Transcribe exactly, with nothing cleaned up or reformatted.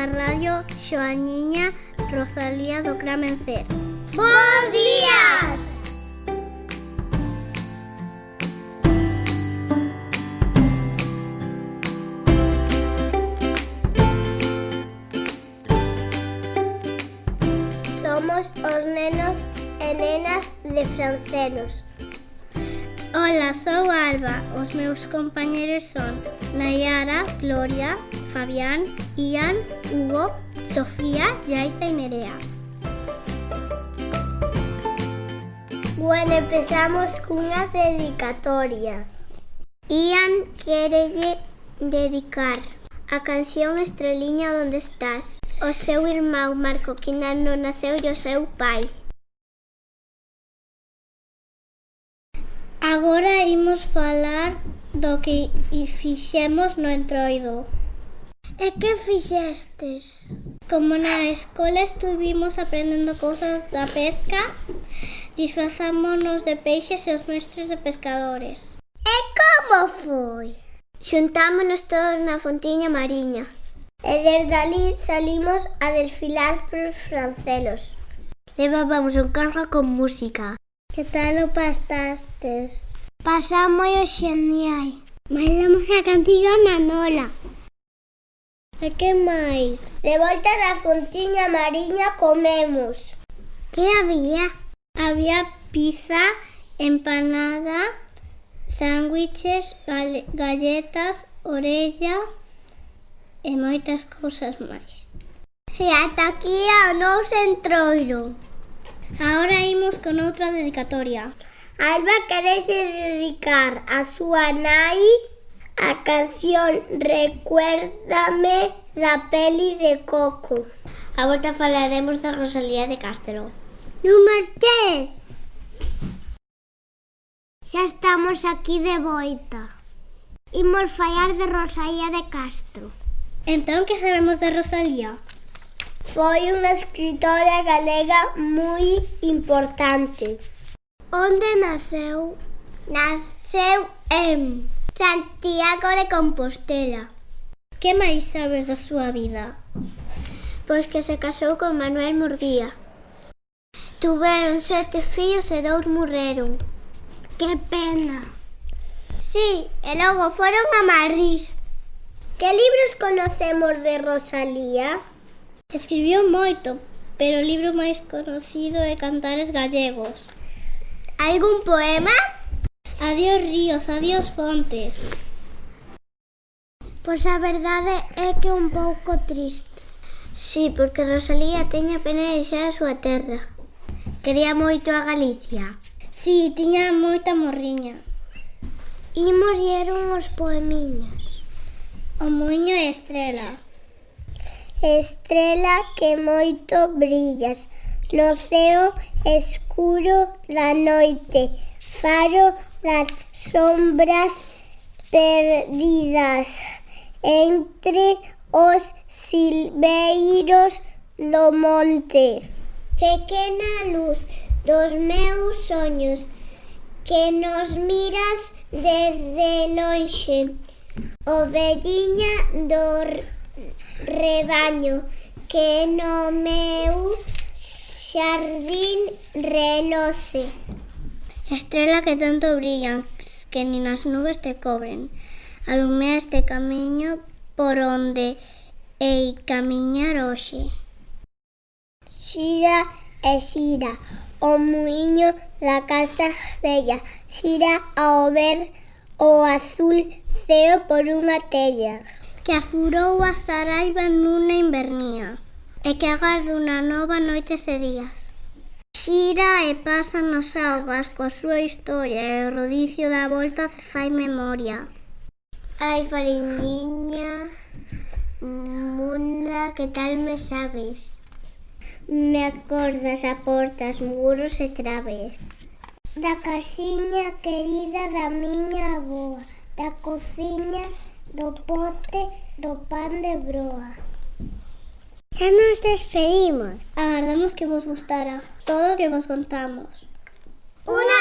da radio Xoaniña Rosalía do Gran Vencer. Bos días! Somos os nenos e nenas de Francelos. Ola, sou Alba. Os meus compañeros son Nayara, Gloria, Fabián, Ian, Hugo, Sofía, Yaita e Nerea. Bueno, empezamos cunha dedicatoria. Ian quérelle dedicar a canción Estreliña onde estás ao seu irmão Marco, que ainda non naceu, e ao seu pai. Agora imos falar do que fixemos no Entroido. E que fixestes? Como na escola estuvimos aprendendo cousas da pesca, disfrazámonos de peixes e os mestres de pescadores. E como foi? Xuntámonos todos na fontiña mariña e desde ali salimos a desfilar por Francelos. Levábamos un carro con música. Que tal o pastastes? Pasamos o xenial. Bailamos a cantiga na nola. E que máis? De volta na fontiña mariña comemos. Que había? Había pizza, empanada, sándwiches, galletas, orella e moitas cousas máis. E ata aquí o noso Entroido. Agora imos con outra dedicatoria. Alba quere dedicar a súa nai a canción Recuérdame da peli de Coco. A volta falaremos da Rosalía de Castro. Non marches! Xa estamos aquí de volta. Imos falar de Rosalía de Castro. Entón, que sabemos de Rosalía? Foi unha escritora galega moi importante. Onde naceu? Naceu en Santiago de Compostela. Que máis sabes da súa vida? Pois que se casou con Manuel Murguía. Tuveron sete fillos e dous morreron. Que pena. Sí, e logo foron a Madrid. Que libros conocemos de Rosalía? Escribiu moito, pero o libro máis conocido é Cantares Gallegos. Algún poema? Adiós ríos, adiós fontes. Pois a verdade é que é un pouco triste. Sí, porque Rosalía teña pena de deixar a súa terra. Quería moito a Galicia. Sí, tiña moita morriña. Imos ler uns poemiños. O muiño e estrela. Estrela que moito brillas no ceo escuro da noite, faro das sombras perdidas entre os silveiros do monte. Pequena luz dos meus soños que nos miras desde lonxe, ovelliña do rebaño que no meu xardín reloce. Estrela que tanto brillan que nin as nubes te cobren, alumea este camiño por onde hei camiñar hoxe. Xira e xira o muiño da casa bella, xira ao ver o azul ceo por unha tella. Que afurou a saraiva nunha invernía e que agarda unha nova noites e días. Xira e pasa nas augas coa súa historia e o rodicio da volta se fai memoria. Ai, fariñiña munda, que tal me sabes? Me acordas a portas, muros e traves. Da casiña querida da miña avoa, da cociña, do pote, do pan de broa. Xa nos despedimos. Agardamos que vos gustara todo o que vos contamos. Unha